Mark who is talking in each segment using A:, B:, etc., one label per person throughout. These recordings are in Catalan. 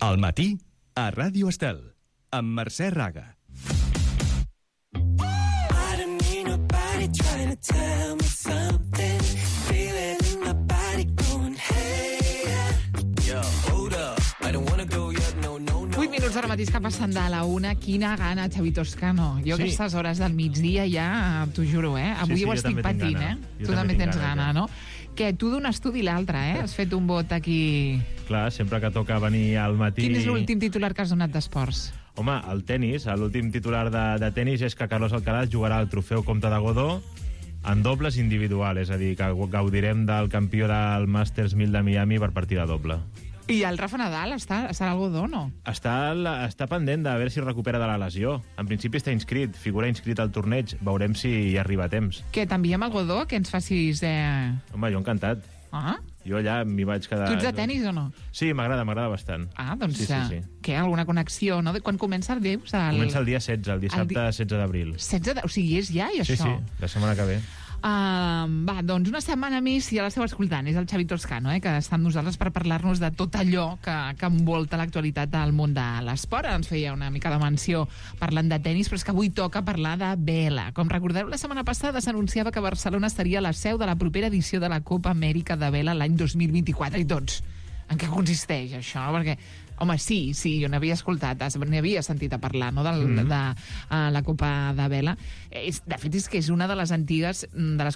A: Al matí, a Ràdio Estel, amb Mercè Raga.
B: Ara mateix que passen de la una, quina gana, Xavi Toscano. Jo aquestes hores del migdia ja, t'ho juro, avui ho estic patint, Tu també tens gana, no? Que tu d'un estudi a l'altre, Has fet un vot aquí...
C: Clar, sempre que toca venir al matí...
B: Quin és l'últim titular que has donat d'esports?
C: Home, el tennis, l'últim titular de tennis és que Carlos Alcaraz jugarà el trofeu Comte de Godó en dobles individual, és a dir, que gaudirem del campió del Masters 1000 de Miami per partida doble.
B: I el Rafa Nadal està al Godó, no?
C: Està pendent de veure si recupera de la lesió. En principi està inscrit, figura inscrit al torneig. Veurem si hi arriba a temps.
B: Que t'enviem al Godó, que ens facis...
C: Home, jo encantat.
B: Ah?
C: Jo allà m'hi vaig quedar...
B: Tu ets de tenis o no?
C: Sí, m'agrada bastant.
B: Ah, doncs
C: sí.
B: Què, alguna connexió, no? Quan comença el dius?
C: Comença el dia 16, el dissabte 16 d'abril.
B: 16 o sigui, és ja, i això?
C: Sí, la setmana que ve.
B: Doncs una setmana més, si ja l'esteu escoltant, és el Xavi Toscano, que està amb nosaltres per parlar-nos de tot allò que envolta l'actualitat del món de l'esport. Ens feia una mica de menció parlant de tenis, però és que avui toca parlar de vela. Com recordeu, la setmana passada s'anunciava que Barcelona seria la seu de la propera edició de la Copa Amèrica de vela l'any 2024, i tots. En què consisteix això? Perquè, home, sí, jo n'havia escoltat, n'havia sentit a parlar, no?, de la Copa de Vela. De fet, és que és una de les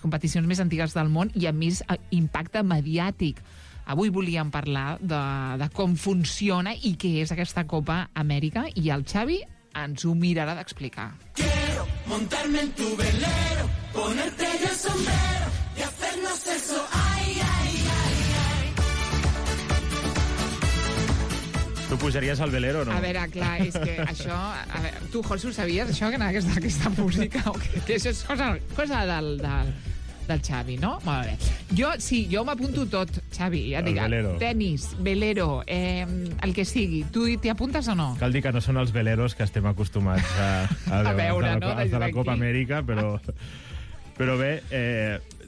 B: competicions més antigues del món i amb més impacte mediàtic. Avui volíem parlar de com funciona i què és aquesta Copa Amèrica, i el Xavi ens ho mirarà d'explicar.
D: Quiero montarme en tu velero, ponerte yo el sombrero y hacernos eso, ay, ay, ay, ay.
C: Tu pujaries al velero o no?
B: A veure, clar, és que això... Tu, José, ho sabies, això, que anava aquesta música? O que això és cosa del Xavi, no? Molt bé. Jo m'apunto tot, Xavi. Ja dic,
C: velero.
B: Tenis, velero, el que sigui. Tu t'hi apuntes o no?
C: Cal dir que no són els veleros que estem acostumats a
B: veure, no?
C: Els de la Copa Amèrica, però bé...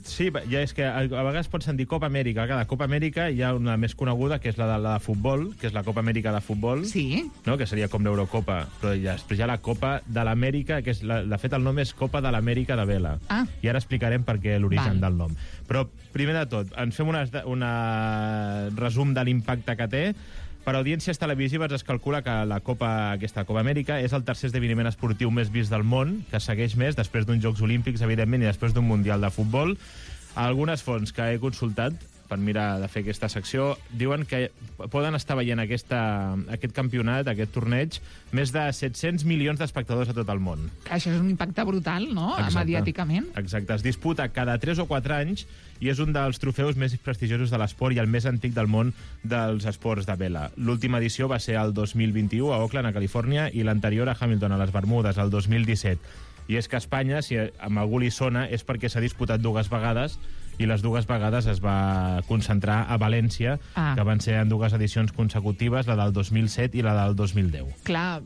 C: Sí, ja és que a vegades pot sentir Copa Amèrica. Cada Copa Amèrica hi ha una més coneguda, que és la de futbol, que és la Copa Amèrica de futbol.
B: Sí.
C: No? Que seria com l'Eurocopa. Però després hi ha la Copa de l'Amèrica, que és de fet el nom és Copa de l'Amèrica de Vela.
B: Ah.
C: I ara explicarem per què l'origen del nom. Però, primer de tot, ens fem un resum de l'impacte que té. Per audiències televisives es calcula que aquesta Copa Amèrica és el tercer esdeveniment esportiu més vist del món, que segueix més després d'uns Jocs Olímpics, evidentment, i després d'un Mundial de Futbol. Algunes fonts que he consultat per mirar de fer aquesta secció diuen que poden estar veient aquest campionat, aquest torneig, més de 700 milions d'espectadors a tot el món.
B: Això és un impacte brutal, no?, mediàticament.
C: Exacte. Es disputa cada 3 o 4 anys i és un dels trofeus més prestigiosos de l'esport i el més antic del món dels esports de vela. L'última edició va ser el 2021 a Oakland, a Califòrnia, i l'anterior a Hamilton, a les Bermudes, el 2017. I és que a Espanya, si amb algú li sona, és perquè s'ha disputat 2 vegades i les 2 vegades es va concentrar a València, que van ser en 2 edicions consecutives, la del 2007 i la del 2010.
B: Clar,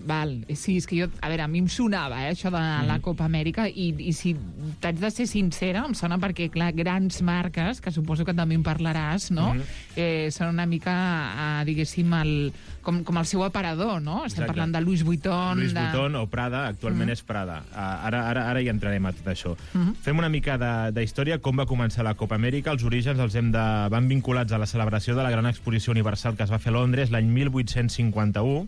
B: val. Sí, és que jo... A veure, a mi em sonava, això de la Copa Amèrica, i si t'haig de ser sincera, em sona perquè, clar, grans marques, que suposo que també en parlaràs, no?, són una mica, diguéssim, com el seu aparador, no? Estem parlant de Louis Vuitton...
C: Louis Vuitton o Prada, actualment és Prada. Ara hi entrarem a tot això. Fem una mica de història, com va començar la Copa Amèrica. Els orígens van vinculats a la celebració de la gran exposició universal que es va fer a Londres l'any 1851.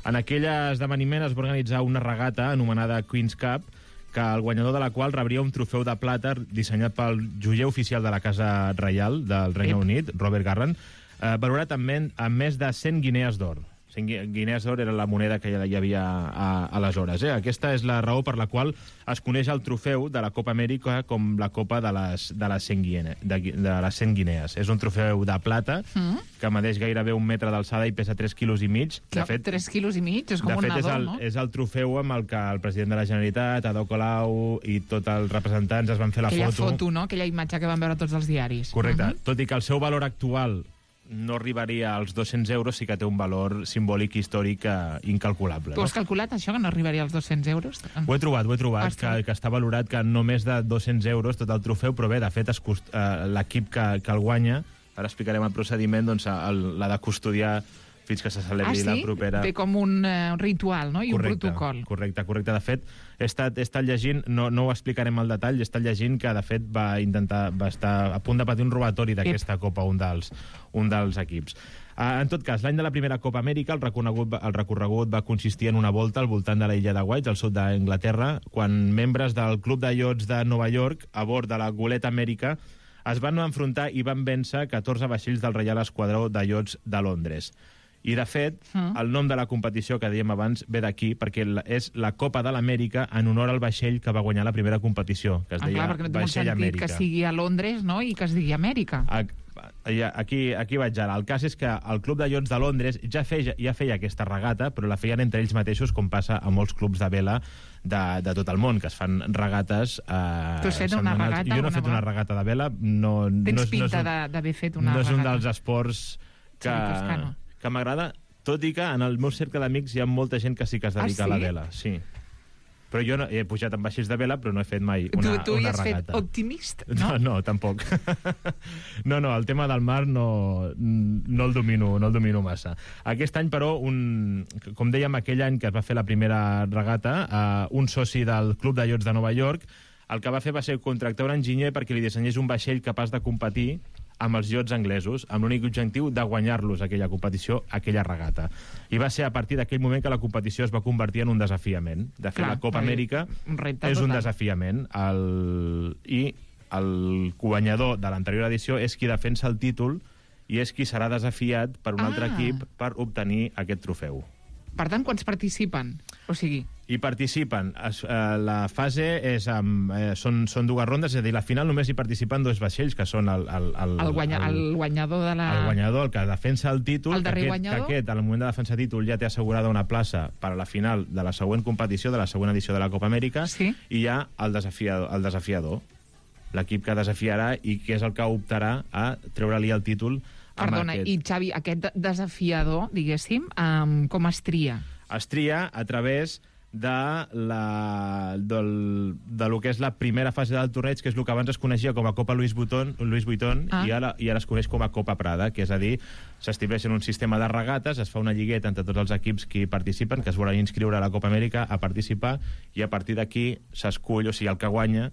C: En aquell esdeveniment es va organitzar una regata anomenada Queen's Cup, que el guanyador de la qual rebria un trofeu de plata dissenyat pel joier oficial de la Casa Reial del Regne Unit, Robert Garran, valorat amb més de 100 guinees d'or. 100 guinees d'or era la moneda que hi havia aleshores. Aquesta és la raó per la qual es coneix el trofeu de la Copa Amèrica com la Copa de les 100 guinees. És un trofeu de plata que medeix gairebé 1 metre d'alçada i pesa 3,5 quilos. De fet,
B: 3,5 quilos? És com un nadó, no?
C: És el trofeu amb el que el president de la Generalitat, Ada Colau i tots els representants es van fer la foto.
B: Aquella foto, no? Aquella imatge que van veure tots els diaris.
C: Correcte. Tot i que el seu valor actual no arribaria als 200 euros, sí que té un valor simbòlic històric incalculable.
B: Tu has calculat això, que no arribaria als 200 euros?
C: Ho he trobat, que està valorat que no més de 200 euros tot el trofeu, però bé, de fet, l'equip que el guanya, ara explicarem el procediment, doncs, l'ha de custodiar fins que se celebri la propera...
B: Té com un ritual, no? I un protocol.
C: Correcte. De fet, he estat llegint, no ho explicarem al detall, he estat llegint que, de fet, va estar a punt de patir un robatori d'aquesta Copa, un dels equips. En tot cas, l'any de la primera Copa Amèrica, el recorregut va consistir en una volta al voltant de l'illa de White, al sud d'Anglaterra, quan membres del Club de Iots de Nova York, a bord de la goleta Amèrica, es van enfrontar i van vèncer 14 vaixells del Reial Esquadró de Iots de Londres. I, de fet, el nom de la competició que dèiem abans ve d'aquí, perquè és la Copa de l'Amèrica en honor al vaixell que va guanyar la primera competició, que es deia
B: perquè no té molt
C: Vaixell
B: sentit
C: Amèrica.
B: que sigui a Londres, no?, i que es digui Amèrica.
C: Aquí vaig ara. El cas és que el Club de Iots de Londres ja feia aquesta regata, però la feien entre ells mateixos, com passa a molts clubs de vela de tot el món, que es fan regates
B: Tu has fet una regata?
C: Jo no he fet una regata de vela.
B: Tens pinta d'haver fet una regata.
C: No és un dels esports que m'agrada, tot i que en el meu cercle d'amics hi ha molta gent que sí que es dedica a la vela. Sí. Però jo he pujat amb vaixells de vela, però no he fet mai una regata.
B: Tu hi has fet optimist, no?
C: No, tampoc. No, el tema del mar no el domino massa. Aquest any, però, com dèiem, aquell any que es va fer la primera regata, un soci del Club de Iots de Nova York, el que va fer va ser contractar un enginyer perquè li dissenyés un vaixell capaç de competir amb els iots anglesos, amb l'únic objectiu de guanyar-los aquella competició, aquella regata. I va ser a partir d'aquell moment que la competició es va convertir en un desafiament. De fet, la Copa Amèrica és un desafiament. I el guanyador de l'anterior edició és qui defensa el títol i és qui serà desafiat per un altre equip per obtenir aquest trofeu.
B: Per tant, quants participen? O sigui...
C: Hi participen. La fase són dues rondes, és a dir, la final només hi participen dos vaixells, que són el
B: guanyador de la...
C: El guanyador, el que defensa el títol,
B: el darrer guanyador?
C: que aquest, al moment de defensar títol, ja té assegurada una plaça per a la final de la següent competició, de la següent edició de la Copa Amèrica,
B: sí?
C: I hi ha el desafiador, l'equip que desafiarà i que és el que optarà a treure-li el títol.
B: Perdona, i Xavi, aquest desafiador, diguéssim, com es tria?
C: Es tria a través de lo que és la primera fase del torneig, que és el que abans es coneixia com a Copa Louis Vuitton, i ara es coneix com a Copa Prada, que és a dir, s'estableix un sistema de regates, es fa una lligueta entre tots els equips que hi participen, que es volen inscriure a la Copa Amèrica a participar, i a partir d'aquí s'escull, o sigui, el que guanya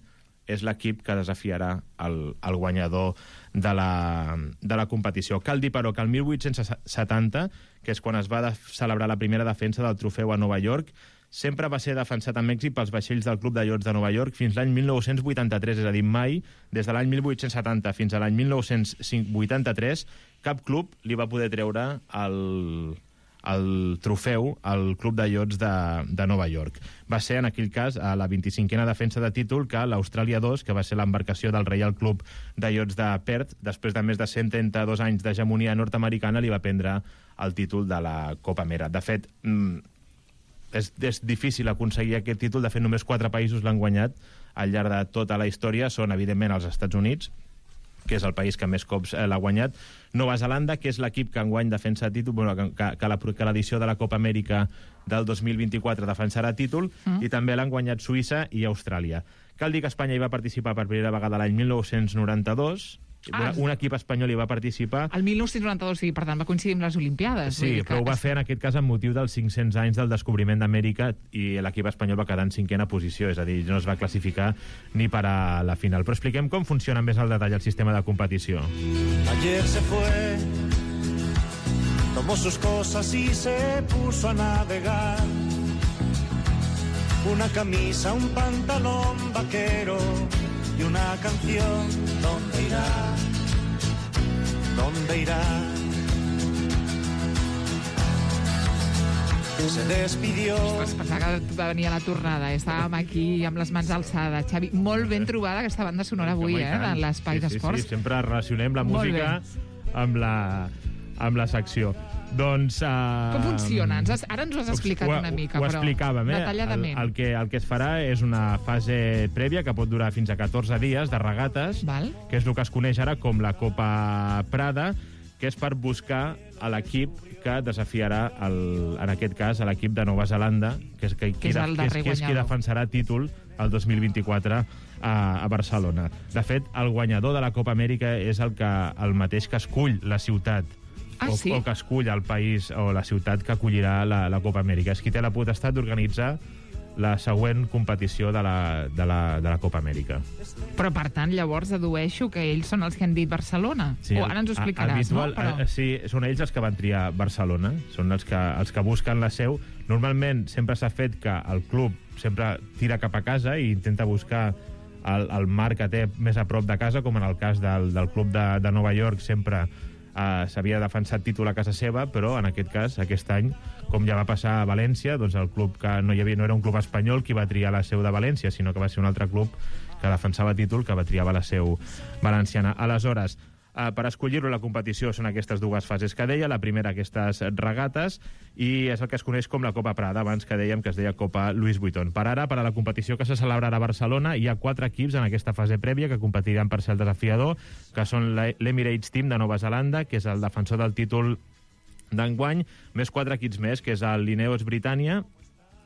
C: és l'equip que desafiarà el guanyador de la competició. Cal dir, però, que el 1870, que és quan es va celebrar la primera defensa del trofeu a Nova York, sempre va ser defensat amb èxit pels vaixells del Club de Iots de Nova York fins l'any 1983, és a dir, mai, des de l'any 1870 fins a l'any 1983, cap club li va poder treure el trofeu al Club de Iots de Nova York. Va ser, en aquell cas, a la 25a defensa de títol que l'Austràlia 2, que va ser l'embarcació del Reial Club de Iots de Perth, després de més de 132 anys d'hegemonia nord-americana, li va prendre el títol de la Copa Amèrica. De fet, és difícil aconseguir aquest títol. De fet, només 4 països l'han guanyat al llarg de tota la història. Són, evidentment, els Estats Units, que és el país que més cops l'ha guanyat. Nova Zelanda, que és l'equip que enguany defensa títol, que l'edició de la Copa Amèrica del 2024 defensarà títol, i també l'han guanyat Suïssa i Austràlia. Cal dir que Espanya hi va participar per primera vegada l'any 1992, un equip espanyol hi va participar.
B: El 1992, sí, per tant, va coincidir amb les Olimpiades.
C: Sí, però ho va fer en aquest cas amb motiu dels 500 anys del descobriment d'Amèrica, i l'equip espanyol va quedar en 5a posició, és a dir, no es va classificar ni per a la final. Però expliquem com funciona més al detall el sistema de competició.
E: Ayer se fue, tomó sus cosas y se puso a navegar. Una camisa, un pantalón vaquero y una canción. ¿Dónde irá? ¿Dónde irá? Se despidió.
B: Ostres, pensava que va venir a la tornada. Estàvem aquí amb les mans alçades. Xavi, molt ben trobada aquesta banda sonora avui, en l'Espai d'Esports.
C: Sí, sempre relacionem la música amb la secció. Doncs...
B: Com funciona? Ara ens ho has explicat una mica,
C: ho
B: però
C: explicàvem,
B: detalladament.
C: El que es farà és una fase prèvia que pot durar fins a 14 dies de regates, que és el que es coneix ara com la Copa Prada, que és per buscar a l'equip que desafiarà, en aquest cas, a l'equip de Nova Zelanda, que és qui defensarà títol el 2024 a Barcelona. De fet, el guanyador de la Copa Amèrica és el mateix que escull la ciutat
B: sí?
C: o que escull el país o la ciutat que acollirà la Copa Amèrica. És qui té la potestat d'organitzar la següent competició de la Copa Amèrica.
B: Però, per tant, llavors dedueixo que ells són els que han dit Barcelona.
C: Sí,
B: o ara ens ho explicaràs, no? Però...
C: Sí, són ells els que van triar Barcelona, són els que busquen la seu. Normalment sempre s'ha fet que el club sempre tira cap a casa i intenta buscar el mar que té més a prop de casa, com en el cas del club de Nova York sempre s'havia defensat títol a casa seva, però en aquest cas, aquest any, com ja va passar a València, doncs el club que no era un club espanyol qui va triar la seu de València, sinó que va ser un altre club que defensava títol que va triar la seu valenciana. Aleshores, per escollir-ho la competició són aquestes dues fases que deia, la primera aquestes regates, i és el que es coneix com la Copa Prada, abans que dèiem que es deia Copa Louis Vuitton. Per ara, per a la competició que se celebrarà a Barcelona, hi ha 4 equips en aquesta fase prèvia que competiran per ser el desafiador, que són l'Emirates Team de Nova Zelanda, que és el defensor del títol d'enguany, més 4 equips més, que és el Lineos Britannia,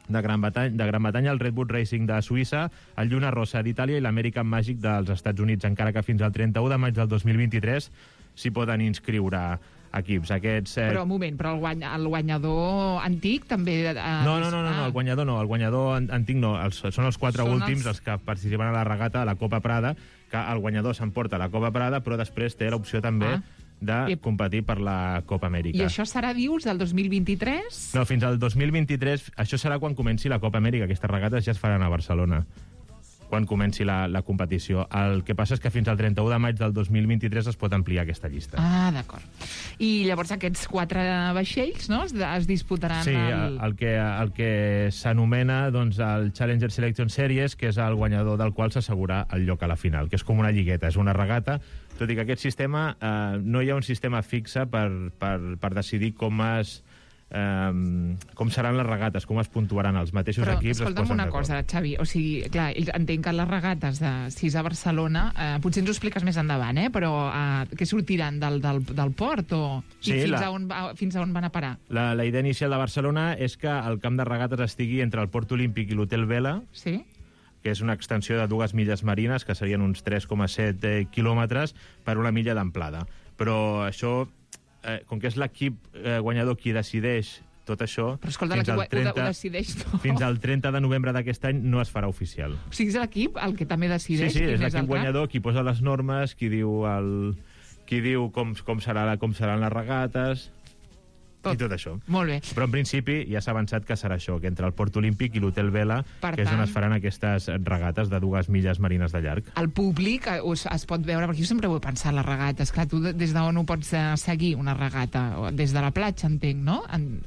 C: de Gran Bretanya, el Redwood Racing de Suïssa, el Lluna Rossa d'Itàlia i l'American Magic dels Estats Units, encara que fins al 31 de maig del 2023 s'hi poden inscriure equips.
B: Però, un moment, però el guanyador antic també...
C: No, el guanyador antic no, són els 4 últims els que participen a la regata de la Copa Prada, que el guanyador s'emporta la Copa Prada, però després té l'opció també de competir per la Copa Amèrica.
B: I això serà, dius, del 2023?
C: No, fins al 2023. Això serà quan comenci la Copa Amèrica. Aquestes regates ja es faran a Barcelona, quan comenci la competició. El que passa és que fins al 31 de maig del 2023 es pot ampliar aquesta llista.
B: Ah, d'acord. I llavors aquests 4 vaixells, no?, es disputaran...
C: Sí, el que s'anomena doncs, el Challenger Selection Series, que és el guanyador del qual s'assegura el lloc a la final, que és com una lligueta, és una regata, tot i que aquest sistema, no hi ha un sistema fixe per decidir com seran les regates, com es puntuaran els mateixos equips.
B: Però escolta'm una cosa, Xavi, o sigui, clar, entenc que les regates de 6 a Barcelona, potser ens ho expliques més endavant, però que sortiran del port
C: Sí,
B: fins a on van a parar?
C: La idea inicial de Barcelona és que el camp de regates estigui entre el Port Olímpic i l'Hotel Vela,
B: sí,
C: que és una extensió de 2 milles marines, que serien uns 3,7 quilòmetres per 1 milla d'amplada. Però això, com que és l'equip guanyador qui decideix tot això...
B: Però escolta, l'equip ho decideix tot.
C: Fins al 30 de novembre d'aquest any no es farà oficial.
B: O sigui, és l'equip el que també decideix?
C: Sí, és l'equip guanyador qui posa les normes, qui diu com seran les regates... I tot això.
B: Molt bé.
C: Però en principi ja s'ha avançat que serà això, que entre el Port Olímpic i l'Hotel Vela, que és on es faran aquestes regates de 2 milles marines de llarg.
B: El públic es pot veure, perquè jo sempre ho he pensat, les regates. Clar, tu des d'on ho pots seguir, una regata? Des de la platja, entenc, no?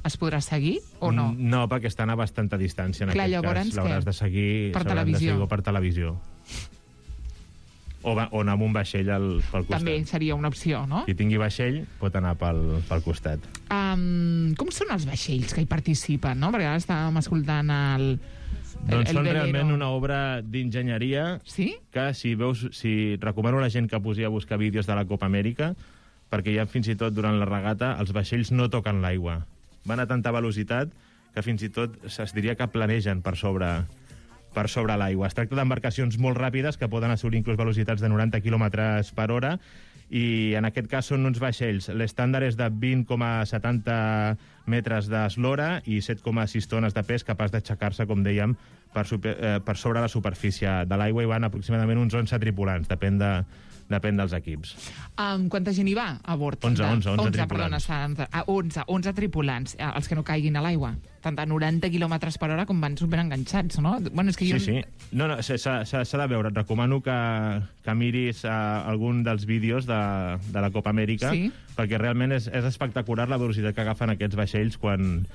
B: Es podrà seguir o no?
C: No, perquè estan a bastanta distància, en aquest cas. L'hauràs de seguir per televisió. O anar amb un vaixell pel costat.
B: També seria una opció, no?
C: Qui tingui vaixell pot anar pel costat.
B: Com són els vaixells que hi participen, no? Perquè ara estàvem escoltant
C: doncs són realment una obra d'enginyeria,
B: sí?
C: Que si recomano a la gent que posi a buscar vídeos de la Copa Amèrica, perquè ja fins i tot durant la regata els vaixells no toquen l'aigua. Van a tanta velocitat que fins i tot es diria que planegen per sobre l'aigua. Es tracta d'embarcacions molt ràpides que poden assolir inclús velocitats de 90 km per hora, i en aquest cas són uns vaixells. L'estàndard és de 20,70 metres d'eslora i 7,6 tones de pes, capaç d'aixecar-se, com dèiem, per sobre la superfície de l'aigua, i van aproximadament uns 11 tripulants, depèn dels equips.
B: Quanta gent hi va a bord?
C: 11 tripulants.
B: Perdona, 11 tripulants, els que no caiguin a l'aigua. Tant a 90 km per hora com van superenganxats, no? Bueno, és que
C: sí. No, s'ha de veure. Et recomano que miris algun dels vídeos de la Copa Amèrica, sí, perquè realment és espectacular la velocitat que agafen aquests vaixells quan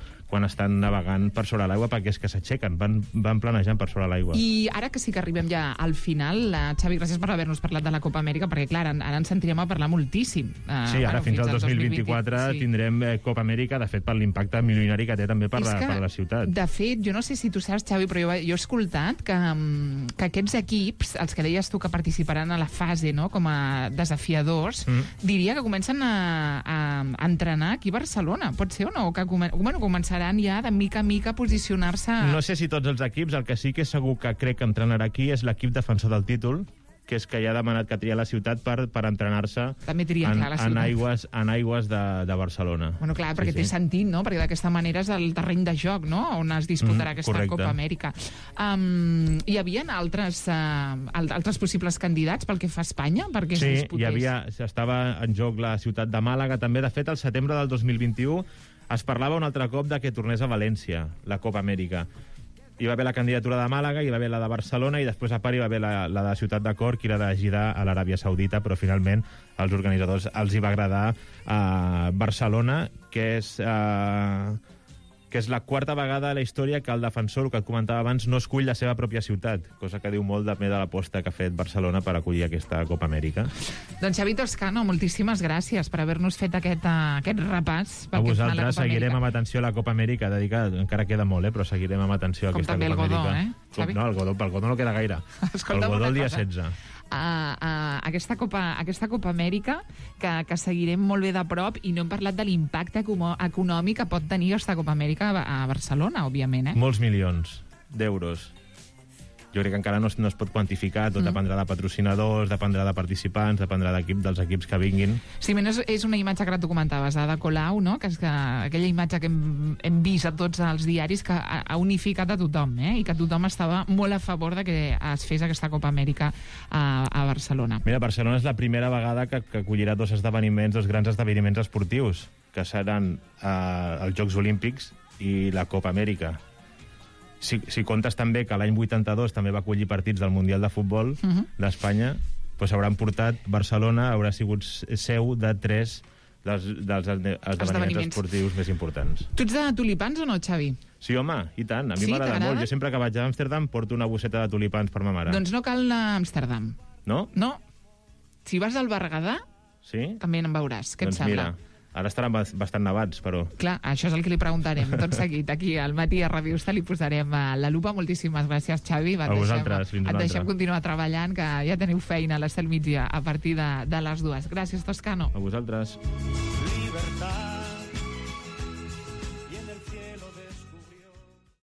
C: estan navegant per sobre l'aigua, perquè és que s'aixequen, van planejant per sobre l'aigua.
B: I ara que sí que arribem ja al final, Xavi, gràcies per haver-nos parlat de la Copa Amèrica, perquè clar, ara ens sentirem a parlar moltíssim.
C: Sí, ara fins al 2024 tindrem Copa Amèrica, de fet, per l'impacte milionari que té també per la ciutat.
B: De fet, jo no sé si tu saps, Xavi, però jo he escoltat que aquests equips, els que deies tu que participaran a la fase, no?, com a desafiadors, diria que comencen a entrenar aquí a Barcelona. Pot ser o no? Que començaran ja de mica a mica a posicionar-se...
C: No sé si tots els equips, el que sí que és segur que crec que entrenarà aquí és l'equip defensor del títol, que és que ja ha demanat que tria la ciutat per entrenar-se
B: També tria, clar, la ciutat.
C: en aigües de Barcelona.
B: Bueno, clar, perquè té sentit, no? Perquè d'aquesta manera és el terreny de joc, no?, on es disputarà aquesta
C: correcte.
B: Copa Amèrica. Hi havia altres possibles candidats pel que fa a Espanya? Perquè es disputés?
C: Estava en joc la ciutat de Màlaga, també. De fet, al setembre del 2021 es parlava un altre cop de que tornés a València, la Copa Amèrica. Hi va haver la candidatura de Màlaga, hi va haver la de Barcelona i després a part hi va haver la de Ciutat de Cork i la de Jeddah a l'Aràbia Saudita, però finalment als organitzadors els hi va agradar Barcelona, que és la quarta vegada a la història que el defensor, que et comentava abans, no escull la seva pròpia ciutat, cosa que diu molt també de l'aposta que ha fet Barcelona per acollir aquesta Copa Amèrica.
B: Doncs Xavi Toscano, moltíssimes gràcies per haver-nos fet aquest repàs.
C: A vosaltres seguirem amb atenció a la Copa Amèrica, encara queda molt, però seguirem amb atenció a aquesta Copa Amèrica.
B: Com també el Godó, Xavi?
C: No, pel Godó no queda gaire. El Godó el dia 16.
B: Aquesta Copa Amèrica que seguirem molt bé de prop, i no hem parlat de l'impacte econòmic que pot tenir aquesta Copa Amèrica a Barcelona, òbviament.
C: Molts milions d'euros. Jo crec que encara no es pot quantificar, tot dependrà de patrocinadors, dependrà de participants, dependrà dels equips que vinguin.
B: Sí, menys és una imatge que tu comentaves, de Colau, no? Que és aquella imatge que hem vist a tots els diaris, que ha unificat a tothom, i que tothom estava molt a favor de que es fes aquesta Copa Amèrica a Barcelona.
C: Mira, Barcelona és la primera vegada que acollirà dos grans esdeveniments esportius, que seran els Jocs Olímpics i la Copa Amèrica. Si comptes també que l'any 82 també va acollir partits del Mundial de Futbol d'Espanya, doncs hauran portat Barcelona, haurà sigut seu de 3 dels esdeveniments esportius més importants.
B: Tu ets de tulipans o no, Xavi?
C: Sí, home, i tant. A mi m'agrada molt. Jo sempre que vaig a Amsterdam porto una bosseta de tulipans per ma mare.
B: Doncs no cal anar a Amsterdam.
C: No?
B: No. Si vas al Berguedà, també en veuràs. Què et sembla?
C: Mira, ara estaran bastant nevats, però...
B: Clar, això és el que li preguntarem. Tot seguit, aquí al Matí a Ràdio Estel li posarem la lupa. Moltíssimes gràcies, Xavi.
C: A vosaltres, fins una altra.
B: Et deixem continuar treballant, que ja teniu feina a l'Estel Migdia a partir de les 2. Gràcies, Toscano.
C: A vosaltres.
E: Libertad.